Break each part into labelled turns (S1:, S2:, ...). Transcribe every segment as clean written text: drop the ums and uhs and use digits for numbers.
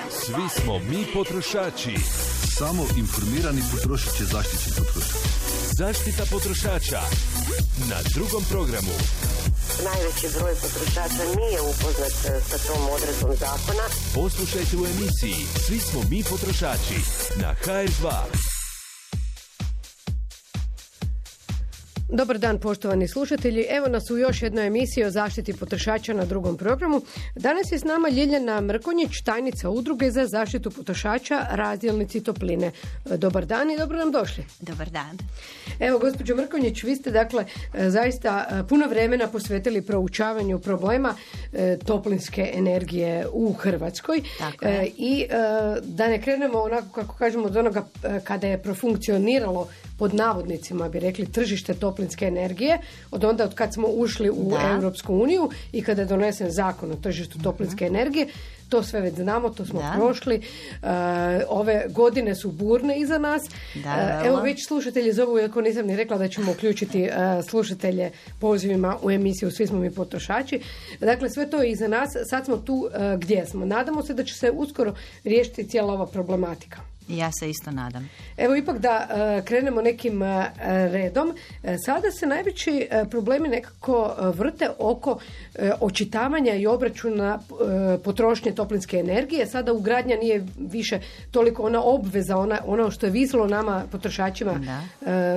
S1: Svi smo mi potrošači.
S2: Samo informirani potrošač je zaštićen potrošač.
S1: Zaštita potrošača na Drugom programu.
S3: Najveći broj potrošača nije upoznat sa tom odredbom zakona.
S1: Poslušajte u emisiji Svi smo mi potrošači na HR2.
S4: Dobar dan, poštovani slušatelji. Evo nas u još jednoj emisiji o zaštiti potrošača na Drugom programu. Danas je s nama Ljiljana Mrkonjić, tajnica Udruge za zaštitu potrošača Razdjelnici topline. Dobar dan i dobro nam došli.
S5: Dobar dan.
S4: Evo, gospođo Mrkonjić, vi ste dakle zaista puno vremena posvetili proučavanju problema toplinske energije u Hrvatskoj. I da ne krenemo onako kako kažemo od onoga kada je profunkcioniralo pod navodnicima bi rekli tržište toplinske energije, od kad smo ušli u Europsku uniju i kada je donesen zakon o tržištu toplinske energije, to sve već znamo, to smo prošli. Ove godine su burne iza nas. Evo već slušatelji zovu, iako nisam ni rekla da ćemo uključiti slušatelje pozivima u emisiju Svi smo mi potrošači. Dakle, sve to je iza nas. Sad smo tu gdje smo. Nadamo se da će se uskoro riješiti cijela ova problematika.
S5: Ja se isto nadam.
S4: Evo ipak da krenemo nekim redom. Sada se najveći problemi nekako vrte oko očitavanja i obračuna potrošnje toplinske energije. Sada ugradnja nije više toliko ona obveza, ono što je visilo nama potrošačima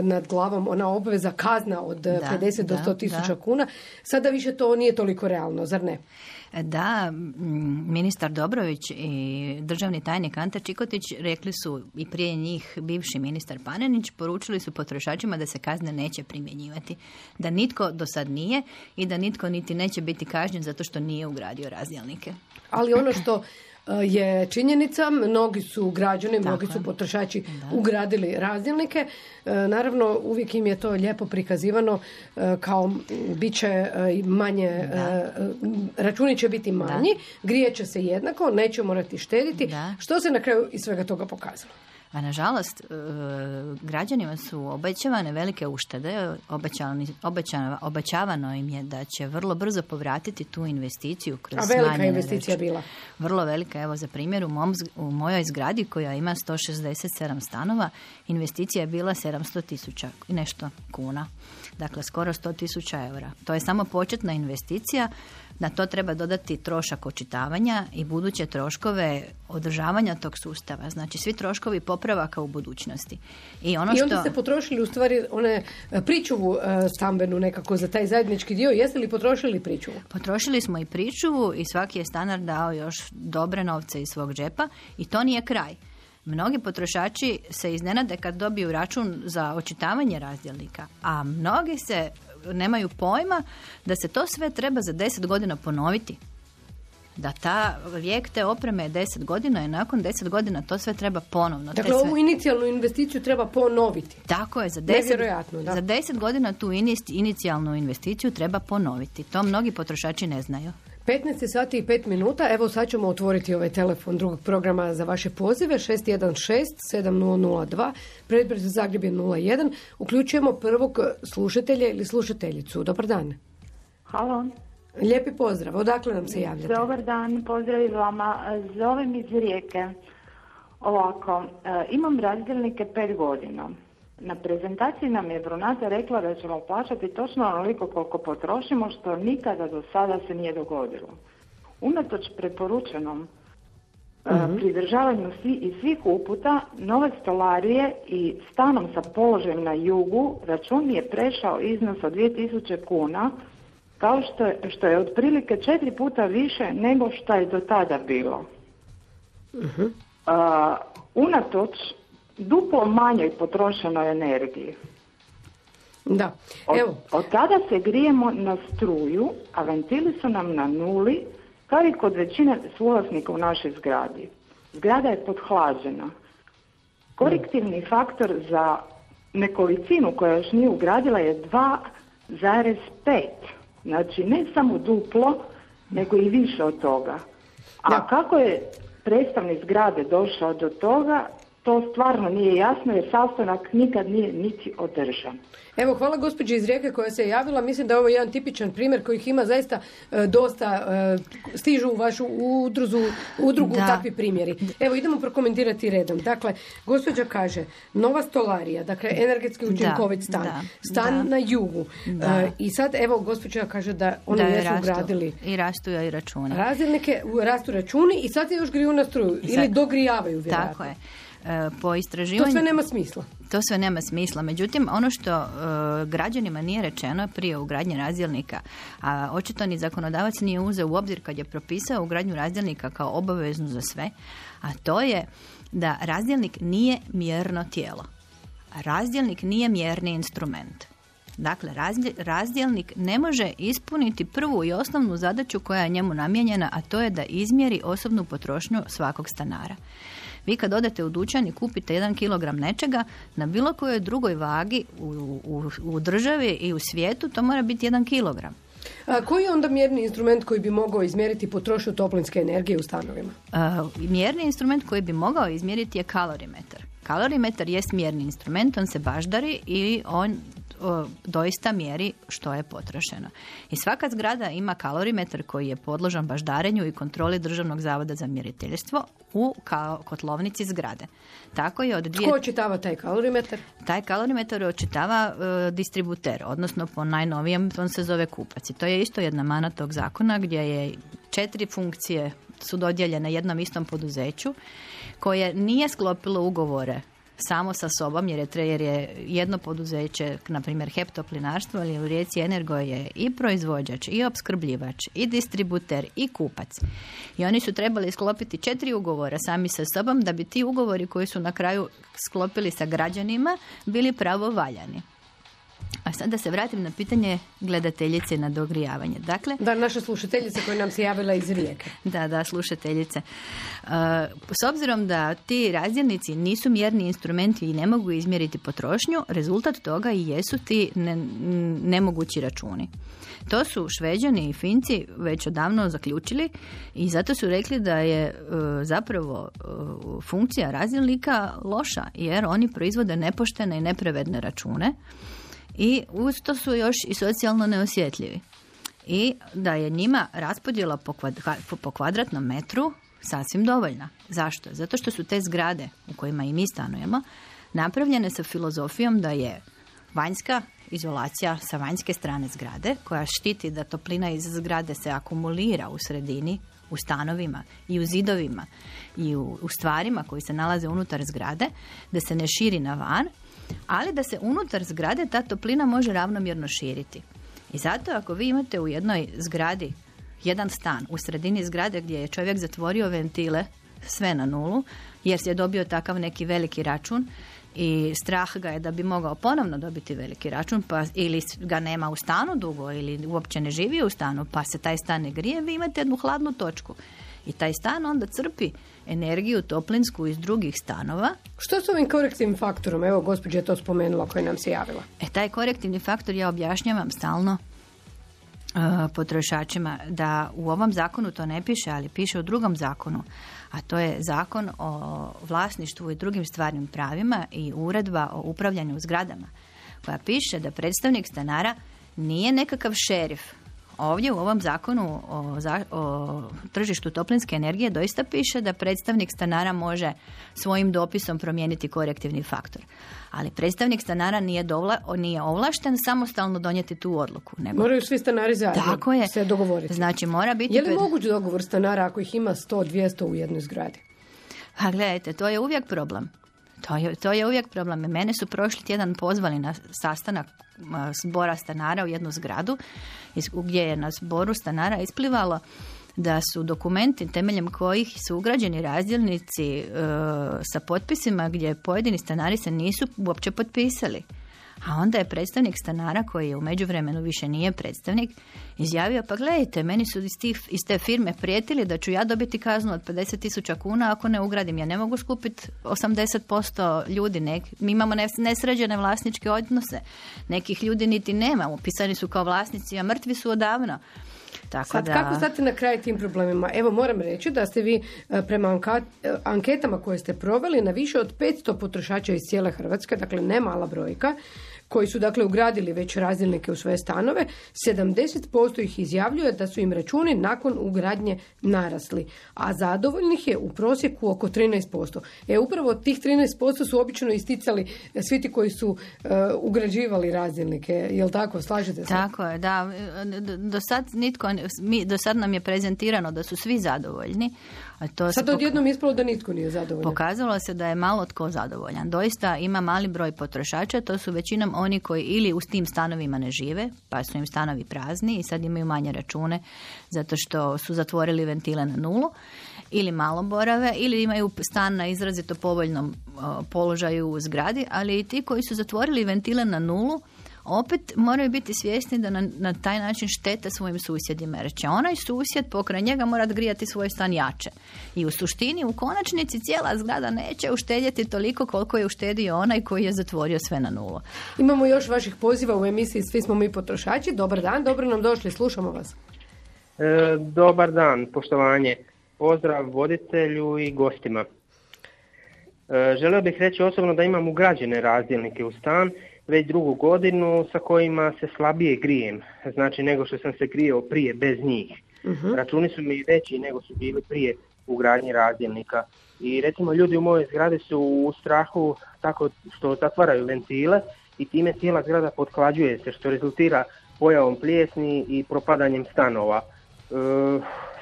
S4: nad glavom, ona obveza kazna od 50 do 100 tisuća kuna. Sada više to nije toliko realno, zar ne?
S5: Da, ministar Dobrović i državni tajnik Ante Čikotić rekli su i prije njih bivši ministar Panenić, poručili su potrošačima da se kazne neće primjenjivati. Da nitko do sad nije i da nitko niti neće biti kažnjen zato što nije ugradio razdjelnike.
S4: Ali ono što je činjenica, mnogi su građani, mnogi su potrošači ugradili razdjelnike. Naravno, uvijek im je to lijepo prikazivano kao bit će manje, računi će biti manji, grijet će se jednako, neće morati štediti. Što se na kraju iz svega toga pokazalo?
S5: A nažalost, građanima su obećavane velike uštede, obećavano im je da će vrlo brzo povratiti tu investiciju kroz smanjene.
S4: A velika investicija bila?
S5: Vrlo velika, evo za primjer, u mojoj zgradi koja ima 167 stanova, investicija je bila 700.000 i nešto kuna. Dakle, skoro 100.000 eura. To je samo početna investicija. Na to treba dodati trošak očitavanja i buduće troškove održavanja tog sustava. Znači, svi troškovi popravaka u budućnosti. I
S4: onda ste potrošili u stvari one pričuvu stambenu nekako za taj zajednički dio. Jeste li potrošili pričuvu?
S5: Potrošili smo i pričuvu i svaki je stanar dao još dobre novce iz svog džepa i to nije kraj. Mnogi potrošači se iznenade kad dobiju račun za očitavanje razdjelnika, a mnogi se nemaju pojma da se to sve treba za 10 godina ponoviti. Da vijek te opreme je 10 godina i nakon 10 godina to sve treba ponovno.
S4: Dakle, ovu inicijalnu investiciju treba ponoviti.
S5: Tako je, za 10 godina tu inicijalnu investiciju treba ponoviti. To mnogi potrošači ne znaju.
S4: 15 sati i 5 minuta. Evo sad ćemo otvoriti ovaj telefon drugog programa za vaše pozive. 616-7002. Predbroj za Zagreb je 01. Uključujemo prvog slušatelja ili slušateljicu. Dobar dan.
S6: Halo.
S4: Lijepi pozdrav. Odakle nam se javljate?
S6: Dobar dan. Pozdrav vama. Zovem iz Rijeke. Ovako, imam razdjelnike 5 godina. Na prezentaciji nam je Brunata rekla da ćemo plaćati točno onoliko koliko potrošimo, što nikada do sada se nije dogodilo. Unatoč preporučenom pridržavanju svih uputa, nove stolarije i stanom sa položajem na jugu, račun je prešao iznos od 2000 kuna, kao što je otprilike 4 puta više nego što je do tada bilo. Unatoč duplo manjoj potrošenoj energiji.
S4: Da. Evo.
S6: Od tada se grijemo na struju, a ventili su nam na nuli, kao i kod većine suvlasnika u našoj zgradi. Zgrada je podhlađena. Korektivni faktor za nekolicinu koja još nije ugradila je 2,5. Znači ne samo duplo, nego i više od toga. A kako je predstavnik zgrade došao do toga, to stvarno nije jasno jer sastanak nikad nije niti održan.
S4: Evo, hvala gospođi iz Rijeke koja se javila. Mislim da je ovo jedan tipičan primjer kojih ima zaista dosta, stižu u vašu udrugu takvi primjeri. Evo, idemo prokomentirati redom. Dakle, gospođa kaže, nova stolarija, dakle, energetski učinkovit stan na jugu. I sad, evo, gospođa kaže da oni jesu ugradili.
S5: I rastu i račune.
S4: Razdjelnike, rastu računi i sad se još griju na struju. Ili dogrijavaju, vjerojatno.
S5: Tako je. Po istraživanju...
S4: To sve nema smisla.
S5: To sve nema smisla. Međutim, ono što građanima nije rečeno prije ugradnje razdjelnika, a očito ni zakonodavac nije uzeo u obzir kad je propisao ugradnju razdjelnika kao obaveznu za sve, a to je da razdjelnik nije mjerno tijelo. Razdjelnik nije mjerni instrument. Dakle, razdjelnik ne može ispuniti prvu i osnovnu zadaću koja je njemu namijenjena, a to je da izmjeri osobnu potrošnju svakog stanara. Vi kad odete u dućan i kupite 1 kilogram nečega, na bilo kojoj drugoj vagi u državi i u svijetu to mora biti 1 kilogram.
S4: A koji je onda mjerni instrument koji bi mogao izmjeriti potrošnju toplinske energije u stanovima?
S5: Mjerni instrument koji bi mogao izmjeriti je kalorimetar. Kalorimetar jest mjerni instrument, on se baždari i on doista mjeri što je potrošeno. I svaka zgrada ima kalorimetar koji je podložan baždarenju i kontroli Državnog zavoda za mjeriteljstvo u kotlovnici zgrade. Tako je
S4: Tko očitava taj kalorimetar?
S5: Taj kalorimetar očitava distributer, odnosno po najnovijem on se zove kupac. I to je isto jedna mana tog zakona gdje je 4 funkcije su dodijeljene jednom istom poduzeću koje nije sklopilo ugovore samo sa sobom, jer je jedno poduzeće, na primjer HEP Toplinarstvo ili u Rijeci Energo je i proizvođač, i opskrbljivač, i distributer, i kupac. I oni su trebali sklopiti 4 ugovora sami sa sobom da bi ti ugovori koji su na kraju sklopili sa građanima bili pravovaljani. A sad da se vratim na pitanje gledateljice na dogrijavanje. Dakle,
S4: naša slušateljica koja nam se javila iz Rijeke.
S5: Da, slušateljice. S obzirom da ti razdjelnici nisu mjerni instrumenti i ne mogu izmjeriti potrošnju, rezultat toga i jesu ti nemogući računi. To su Šveđani i Finci već odavno zaključili i zato su rekli da je zapravo funkcija razdjelnika loša, jer oni proizvode nepoštene i nepravedne račune. I uz to su još i socijalno neosjetljivi. I da je njima raspodjela po kvadratnom metru sasvim dovoljna. Zašto? Zato što su te zgrade u kojima i mi stanujemo napravljene sa filozofijom da je vanjska izolacija sa vanjske strane zgrade koja štiti da toplina iz zgrade se akumulira u sredini, u stanovima i u zidovima i u stvarima koji se nalaze unutar zgrade, da se ne širi na van, ali da se unutar zgrade ta toplina može ravnomjerno širiti. I zato ako vi imate u jednoj zgradi jedan stan u sredini zgrade gdje je čovjek zatvorio ventile sve na nulu, jer se je dobio takav neki veliki račun i strah ga je da bi mogao ponovno dobiti veliki račun, pa ili ga nema u stanu dugo ili uopće ne živi u stanu, pa se taj stan ne grije, vi imate jednu hladnu točku. I taj stan onda crpi energiju toplinsku iz drugih stanova.
S4: Što s ovim korektivnim faktorom? Evo, gospođa je to spomenula koja nam se javila.
S5: Taj korektivni faktor ja objašnjavam stalno potrošačima da u ovom zakonu to ne piše, ali piše u drugom zakonu, a to je zakon o vlasništvu i drugim stvarnim pravima i uredba o upravljanju zgradama, koja piše da predstavnik stanara nije nekakav šerif. Ovdje u ovom zakonu o tržištu toplinske energije doista piše da predstavnik stanara može svojim dopisom promijeniti korektivni faktor. Ali predstavnik stanara nije ovlašten samostalno donijeti tu odluku.
S4: Moraju svi stanari zajedno se dogovoriti.
S5: Znači, mora biti...
S4: Je li moguć dogovor stanara ako ih ima 100-200 u jednoj zgradi?
S5: A gledajte, to je uvijek problem. To je uvijek problem. Mene su prošli tjedan pozvali na sastanak zbora stanara u jednu zgradu gdje je na zboru stanara isplivalo da su dokumenti temeljem kojih su ugrađeni razdjelnici sa potpisima gdje pojedini stanari se nisu uopće potpisali. A onda je predstavnik stanara, koji je u međuvremenu više nije predstavnik, izjavio, pa gledajte, meni su iz te firme prijetili da ću ja dobiti kaznu od 50.000 kuna ako ne ugradim. Ja ne mogu skupiti 80% ljudi. Mi imamo nesređene vlasničke odnose. Nekih ljudi niti nema. Upisani su kao vlasnici, a mrtvi su odavno.
S4: Kako stati na kraj tim problemima? Evo, moram reći da ste vi prema anketama koje ste proveli na više od 500 potrošača iz cijele Hrvatske, dakle ne mala brojka, koji su dakle ugradili već razdjelnike u svoje stanove, 70% ih izjavljuje da su im računi nakon ugradnje narasli, a zadovoljnih je u prosjeku oko 13%. Upravo tih 13% su obično isticali svi ti koji su ugrađivali razdjelnike, jel tako? Slažete se?
S5: Tako je, da. Do sad nam je prezentirano da su svi zadovoljni.
S4: Sad odjednom ispalo da nitko nije zadovoljan.
S5: Pokazalo se da je malo tko zadovoljan. Doista ima mali broj potrošača, to su većinom oni koji ili u tim stanovima ne žive, pa su im stanovi prazni i sad imaju manje račune zato što su zatvorili ventile na nulu, ili malo borave, ili imaju stan na izrazito povoljnom položaju u zgradi, ali i ti koji su zatvorili ventile na nulu opet moraju biti svjesni da na taj način štete svojim susjedima, jer će onaj susjed pokraj njega morat grijati svoj stan jače. I u suštini, u konačnici, cijela zgrada neće uštedjeti toliko koliko je uštedio onaj koji je zatvorio sve na nulu.
S4: Imamo još vaših poziva u emisiji Svi smo mi potrošači. Dobar dan, dobro nam došli, slušamo vas.
S7: Dobar dan, poštovanje. Pozdrav voditelju i gostima. Želio bih reći osobno da imam ugrađene razdjelnike u stan već 2. godinu sa kojima se slabije grijem, znači nego što sam se grijao prije bez njih. Računi su mi veći nego su bili prije ugradnje razdjelnika. I recimo ljudi u mojoj zgradi su u strahu tako što zatvaraju ventile i time cijela zgrada pothlađuje se, što rezultira pojavom plijesni i propadanjem stanova.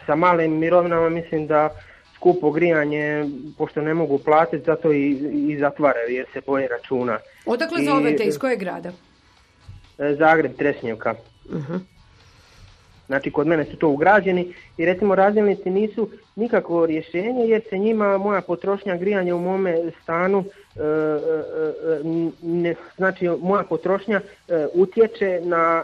S7: Sa malim mirovinama mislim da skupo grijanje, pošto ne mogu platiti, zato i zatvaraju jer se boje računa.
S4: Odakle zovete, iz kojeg grada?
S7: Zagreb, Trešnjevka. Znači, kod mene su to ugrađeni i recimo razdjelnici nisu nikakvo rješenje jer se njima moja potrošnja grijanja u mome stanu, znači moja potrošnja utječe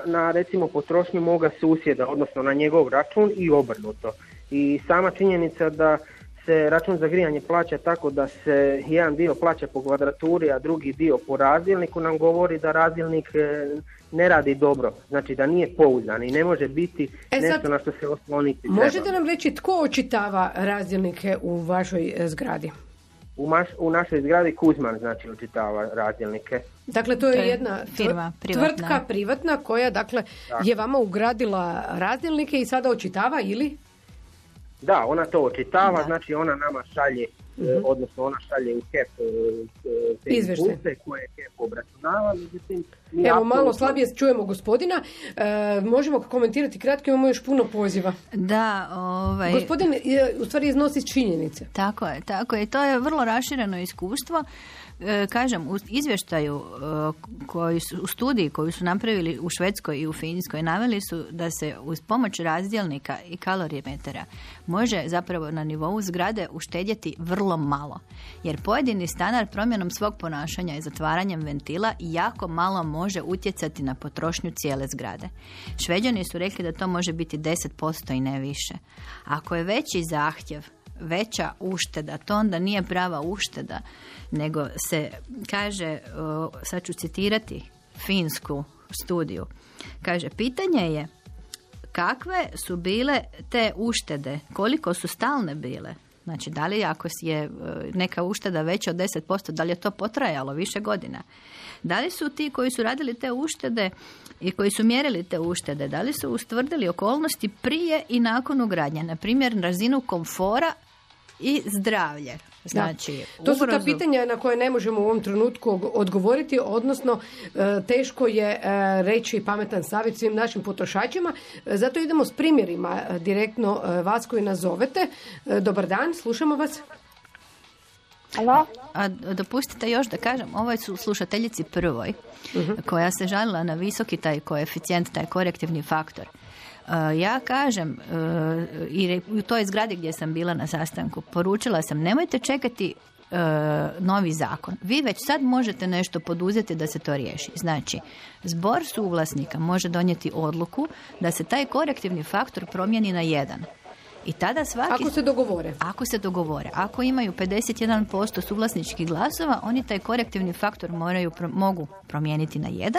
S7: na recimo potrošnju moga susjeda, odnosno na njegov račun i obrnuto. I sama činjenica da se račun za grijanje plaća tako da se jedan dio plaća po kvadraturi, a drugi dio po razdjelniku, nam govori da razdjelnik ne radi dobro, znači da nije pouzdan i ne može biti nešto na što se osloniti treba.
S4: Možete nam reći tko očitava razdjelnike u vašoj zgradi?
S7: U našoj zgradi Kuzman, znači, očitava razdjelnike.
S4: Dakle, to je jedna
S5: firma,
S4: tvrtka privatna koja, dakle, je vama ugradila razdjelnike i sada očitava ili?
S7: Da, ona to očitava, znači ona nama šalje, odnosno ona šalje u HEP izvješće koje je HEP obračunava.
S4: Evo, malo slabije čujemo gospodina. Možemo komentirati kratko, imamo još puno poziva.
S5: Da,
S4: Gospodin u stvari iznosi činjenice.
S5: Tako je. To je vrlo rašireno iskustvo. Kažem, u izvještaju u studiji koju su napravili u Švedskoj i u Finskoj naveli su da se uz pomoć razdjelnika i kalorimetera može zapravo na nivou zgrade uštedjeti vrlo malo. Jer pojedini stanar promjenom svog ponašanja i zatvaranjem ventila jako malo može utjecati na potrošnju cijele zgrade. Šveđani su rekli da to može biti 10% i ne više. Ako je veći zahtjev, veća ušteda, to onda nije prava ušteda, nego se kaže, sad ću citirati finsku studiju, kaže, pitanje je kakve su bile te uštede, koliko su stalne bile, znači da li ako je neka ušteda veća od 10%, da li je to potrajalo više godina, da li su ti koji su radili te uštede i koji su mjerili te uštede, da li su ustvrdili okolnosti prije i nakon ugradnje, na primjer razinu komfora i zdravlje. Znači,
S4: to su ta pitanja na koje ne možemo u ovom trenutku odgovoriti, odnosno teško je reći pametan savjet svim našim potrošačima. Zato idemo s primjerima direktno vas koji nas zovete. Dobar dan, slušamo vas.
S6: Alo?
S5: A dopustite još da kažem, ovoj su slušateljici prvoj koja se žalila na visoki taj koeficijent, taj korektivni faktor. Ja kažem, i u toj zgradi gdje sam bila na sastanku, poručila sam, nemojte čekati novi zakon. Vi već sad možete nešto poduzeti da se to riješi. Znači, zbor suvlasnika može donijeti odluku da se taj korektivni faktor promijeni na 1. I tada svaki... Ako se dogovore. Ako imaju 51% suvlasničkih glasova, oni taj korektivni faktor mogu promijeniti na 1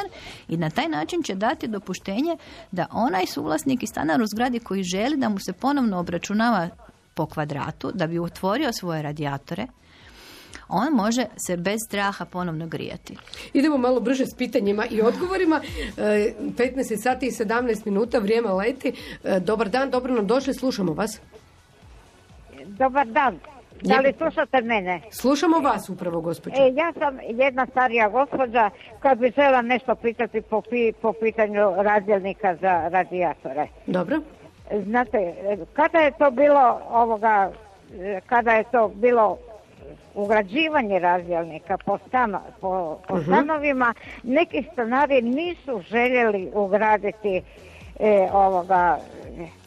S5: i na taj način će dati dopuštenje da onaj suvlasnik i stanar u zgradi koji želi da mu se ponovno obračunava po kvadratu, da bi otvorio svoje radijatore, on može se bez straha ponovno grijati.
S4: Idemo malo brže s pitanjima i odgovorima. 15 sati i 17 minuta, vrijeme leti. Dobar dan, dobro nam došli, slušamo vas.
S8: Dobar dan. Da li slušate mene?
S4: Slušamo vas upravo, gospođo.
S8: Ja sam jedna starija gospođa koja bi žela nešto pitati po pitanju razdjelnika za radijatore.
S4: Dobro.
S8: Znate, kada je to bilo ugrađivanje razdjelnika po stanovima, neki stanari nisu željeli ugraditi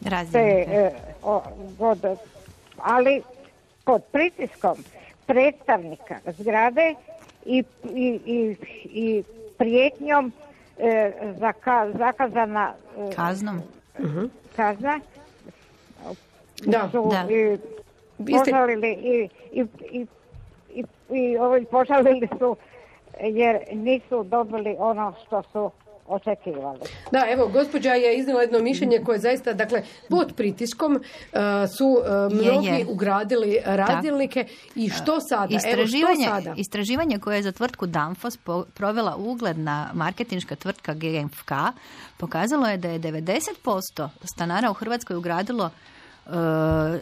S5: razdjelnike.
S8: Ali pod pritiskom predstavnika zgrade i prijetnjom zakazana
S5: kaznom.
S8: Kazna.
S4: Da.
S8: Požalili i požalili su jer nisu dobili ono što su očekivali.
S4: Da, evo, gospođa je iznijela jedno mišljenje koje zaista, dakle, pod pritiskom su mnogi ugradili razdjelnike i što sada?
S5: Istraživanje koje je za tvrtku Danfoss provela ugledna marketinška tvrtka GFK pokazalo je da je 90% stanara u Hrvatskoj ugradilo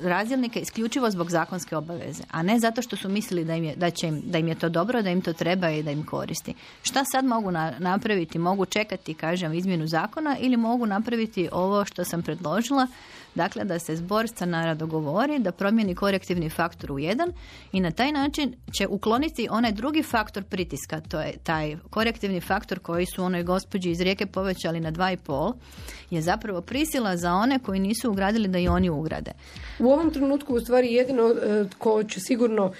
S5: razdjelnike isključivo zbog zakonske obaveze, a ne zato što su mislili da im je to dobro, da im to treba i da im koristi. Šta sad mogu napraviti? Mogu čekati, kažem, izmjenu zakona ili mogu napraviti ovo što sam predložila, dakle da se zbor stanara dogovori, da promijeni korektivni faktor u 1 i na taj način će ukloniti onaj drugi faktor pritiska, to je taj korektivni faktor koji su onoj gospođi iz Rijeke povećali na 2,5, je zapravo prisila za one koji nisu ugradili da i oni ugrade.
S4: U ovom trenutku u stvari jedino ko će sigurno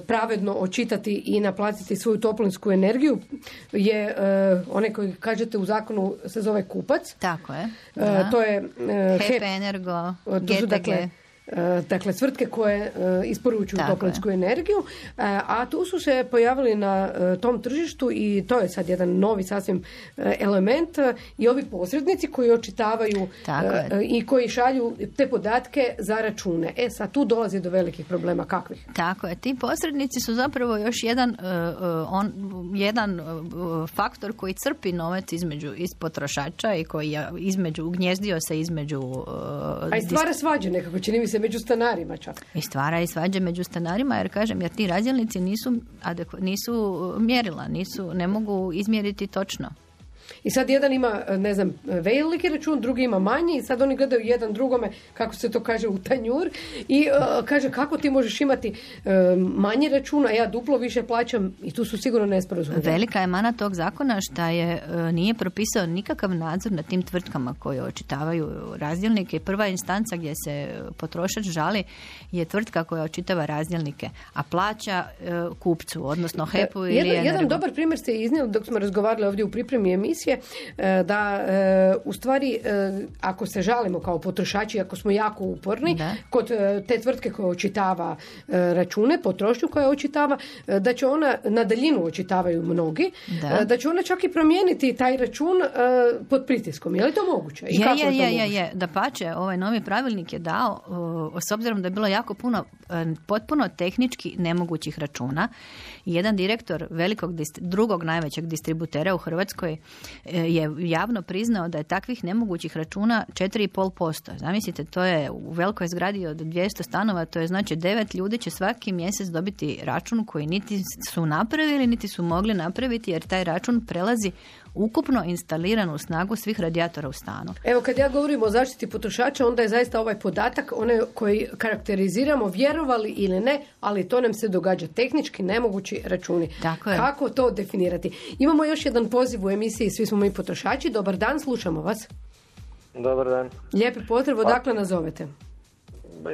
S4: pravedno očitati i naplatiti svoju toplinsku energiju je onaj koji kažete u zakonu se zove kupac.
S5: Tako je.
S4: To je
S5: HEP Energo, GTG.
S4: Dakle, tvrtke koje isporučuju toplinsku energiju, a tu su se pojavili na tom tržištu i to je sad jedan novi sasvim element i ovi posrednici koji očitavaju i koji šalju te podatke za račune. Sad tu dolazi do velikih problema. Kakvih?
S5: Tako je. Ti posrednici su zapravo još jedan faktor koji crpi novac iz potrošača i koji je ugnjezdio se između...
S4: A i stvara svađe nekako, čini mi se među stanarima čak.
S5: I stvara i svađe među stanarima, jer ti razdjelnici nisu mjerila, ne mogu izmjeriti točno.
S4: I sad jedan ima, ne znam, veliki račun, drugi ima manji i sad oni gledaju jedan drugome, kako se to kaže, u tanjur i kaže kako ti možeš imati manji račun, a ja duplo više plaćam i tu su sigurno nesporazumi.
S5: Velika je mana tog zakona što nije propisao nikakav nadzor nad tim tvrtkama koje očitavaju razdjelnike. Prva instanca gdje se potrošač žali je tvrtka koja očitava razdjelnike, a plaća kupcu, odnosno HEP-u ili Energu.
S4: Jedan dobar primjer ste iznijeli dok smo razgovarali ovdje u pripremi emisije, da u stvari ako se žalimo kao potrošači, ako smo jako uporni kod te tvrtke koja očitava račune, potrošnju koja očitava, da će ona na daljinu očitavaju mnogi, da će ona čak i promijeniti taj račun pod pritiskom. Je li to moguće? I kako je to moguće?
S5: Dapače, ovaj novi pravilnik je dao, s obzirom da je bilo jako puno potpuno tehnički nemogućih računa. Jedan direktor drugog najvećeg distributera u Hrvatskoj je javno priznao da je takvih nemogućih računa 4,5%. Zamislite, to je u velikoj zgradi od 200 stanova, to je znači 9 ljudi će svaki mjesec dobiti račun koji niti su napravili, niti su mogli napraviti, jer taj račun prelazi ukupno instaliranu snagu svih radijatora u stanu.
S4: Evo, kad ja govorim o zaštiti potrošača, onda je zaista ovaj podatak, onaj koji karakteriziramo, vjerovali ili ne, ali to nam se događa, tehnički nemogući računi. Kako to definirati? Imamo još jedan poziv u emisiji Svi smo mi potrošači. Dobar dan, slušamo vas.
S9: Dobar dan.
S4: Lijepi pozdrav, odakle nazovete?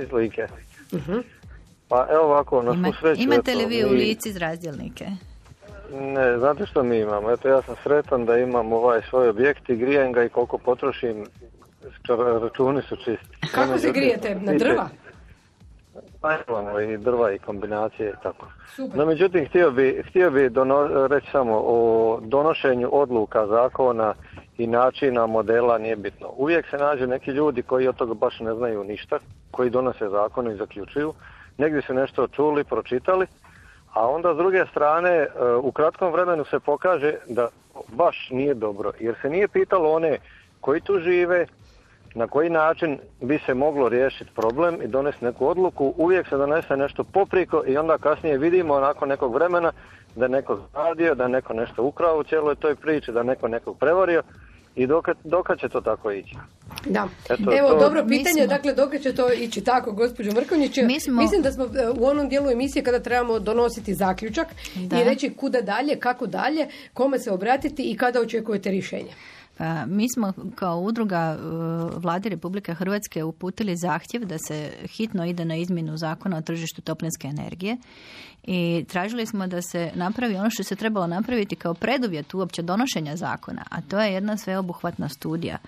S9: Iz Like. Pa evo ovako, na svu sreću...
S5: Imate li vi u Lici iz razdjelnike?
S9: Ne, znate što mi imamo? Eto, ja sam sretan da imam svoj objekt i grijem ga i koliko potrošim računi su čisti.
S4: Kako se grijete? Na drva?
S9: Pa imamo i drva i kombinacije i tako.
S4: Super.
S9: No međutim, htio bi reći samo o donošenju odluka, zakona i načina, modela nije bitno. Uvijek se nađu neki ljudi koji od toga baš ne znaju ništa, koji donose zakone i zaključuju. Negdje su nešto čuli, pročitali, a onda s druge strane u kratkom vremenu se pokaže da baš nije dobro, jer se nije pitalo one koji tu žive, na koji način bi se moglo riješiti problem i donesti neku odluku. Uvijek se donese nešto popriko i onda kasnije vidimo nakon nekog vremena da je neko radio, da je neko nešto ukrao u cijeloj toj priči, da je neko nekog prevario i dokad će to tako ići.
S4: Da. Evo, dobro pitanje, dakle, dokad će to ići tako, gospođo Mrkonjić? Mislim da smo u onom dijelu emisije kada trebamo donositi zaključak i reći kuda dalje, kako dalje, kome se obratiti i kada očekujete rješenje.
S5: Mi smo kao udruga Vlade Republike Hrvatske uputili zahtjev da se hitno ide na izmjenu zakona o tržištu toplinske energije i tražili smo da se napravi ono što se trebalo napraviti kao preduvjet uopće donošenja zakona, a to je jedna sveobuhvatna studija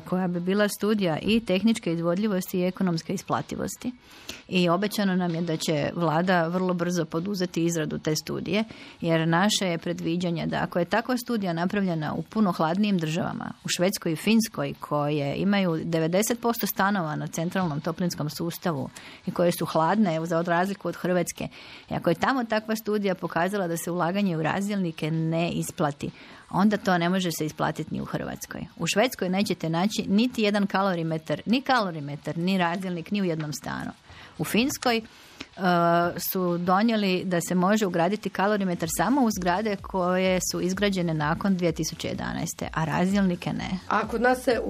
S5: koja bi bila studija i tehničke izvodljivosti i ekonomske isplativosti. I obećano nam je da će Vlada vrlo brzo poduzeti izradu te studije, jer naše je predviđanje da ako je takva studija napravljena u puno hladnijim državama, u Švedskoj i Finskoj, koje imaju 90% stanova na centralnom toplinskom sustavu i koje su hladne, za razliku od Hrvatske, i ako je tamo takva studija pokazala da se ulaganje u razdjelnike ne isplati, onda to ne može se isplatiti ni u Hrvatskoj. U Švedskoj nećete naći niti jedan kalorimetar, ni razdjelnik, ni u jednom stanu. U Finskoj su donijeli da se može ugraditi kalorimetar samo u zgrade koje su izgrađene nakon 2011. a razdjelnike ne. A
S4: kod nas se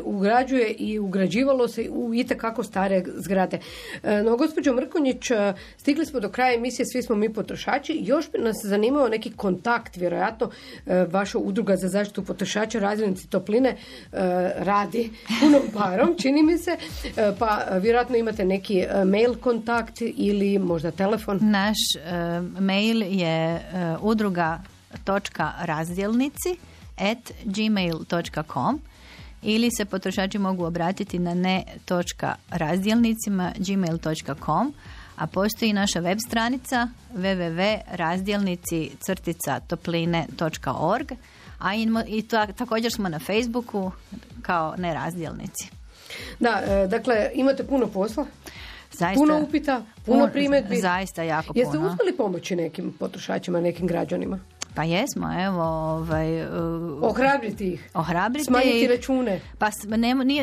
S4: ugrađuje i ugrađivalo se u itekako stare zgrade. No, gospođo Mrkonjić, stigli smo do kraja emisije, svi smo mi potrošači. Još bi nas zanimao neki kontakt, vjerojatno vaša udruga za zaštitu potrošača, razdjelnici topline, radi punom parom, čini mi se, pa vjerojatno imate neki mail kontakt ili možda telefon?
S5: Naš mail je udruga.razdjelnici@gmail.com ili se potrošači mogu obratiti na ne.razdjelnicima@gmail.com, a postoji naša web stranica www.razdjelnici-topline.org, a također smo na Facebooku kao Nerazdjelnici.
S4: Da, dakle, imate puno posla?
S5: Zaista,
S4: puno upita, puno primjedbi.
S5: Zaista jako puno.
S4: Jeste uspjeli pomoći nekim potrošačima, nekim građanima?
S5: Pa jesmo, evo...
S4: ohrabriti ih. Smanjiti račune.
S5: Pa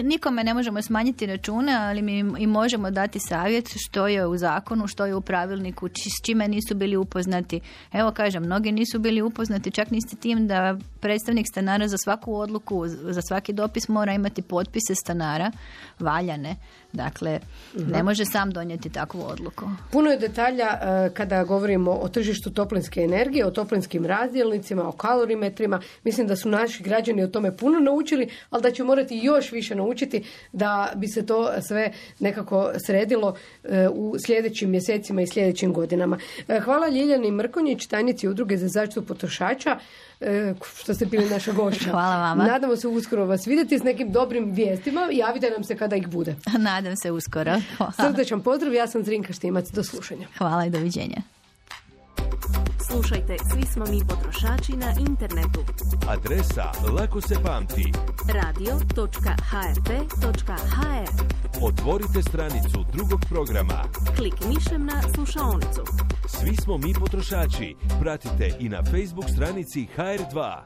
S5: nikome ne možemo smanjiti račune, ali mi i možemo dati savjet što je u zakonu, što je u pravilniku, s čime nisu bili upoznati. Evo kažem, mnogi nisu bili upoznati, čak niste tim da predstavnik stanara za svaku odluku, za svaki dopis mora imati potpise stanara valjane. Dakle, ne može sam donijeti takvu odluku.
S4: Puno je detalja kada govorimo o tržištu toplinske energije, o toplinskim razdjelnicima, o kalorimetrima. Mislim da su naši građani o tome puno naučili, ali da će morati još više naučiti da bi se to sve nekako sredilo u sljedećim mjesecima i sljedećim godinama. Hvala Ljiljani Mrkonjić, tajnici Udruge za zaštitu potrošača, što ste bili naša gošća.
S5: Hvala vama.
S4: Nadamo se uskoro vas vidjeti s nekim dobrim vijestima. Javite nam se kada ih bude.
S5: Nadam se uskoro. Hvala.
S4: Srdečan pozdrav, ja sam Zrinka Štimac. Do slušanja.
S5: Hvala i doviđenja.
S1: Slušajte, svi smo mi potrošači na internetu. Adresa lako se pamti. radio.hr.hr. Otvorite stranicu drugog programa. Klik mišem na slušaonicu. Svi smo mi potrošači. Pratite i na Facebook stranici HR2.